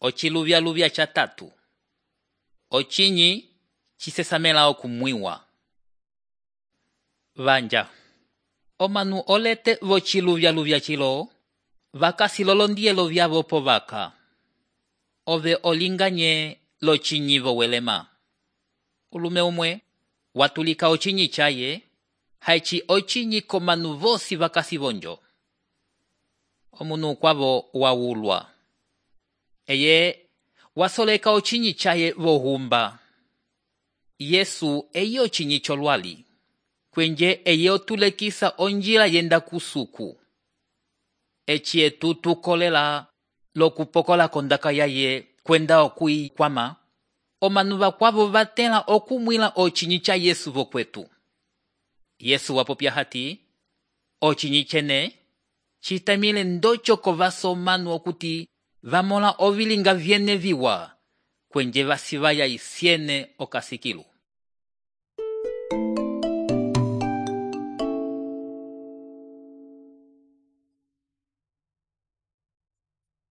Ociluvyaluvya ca tatu. Ocinyi cisesamela okumwiwa. Vanja. Omanu olete vociluvyaluvya cilo, vakasilolondiyelo vyavo povaka. Ove olinganye locinyi vowelema. Ulume umwe, watulika ocinyi chaye, haici ocinyi komanu vosi vakasivonjo. Omunu kwavo wawulwa. Eye wasoleka ocinyi chaye vohumba. Yesu eyo ocinyi cholwali. Kwenje eye otulekisa onjila yenda kusuku. Eci etu tukolela lokupokola kondaka yaye kwenda okuikwama. Omanu vakwavo vatela okumwila ocinyi cha Yesu vokwetu. Yesu wapopya hati, ocinyi chene citamile ndocho kovaso manu okuti vamola ovilinga vyene viwa, kwenje vasivaya isiene okasikilu.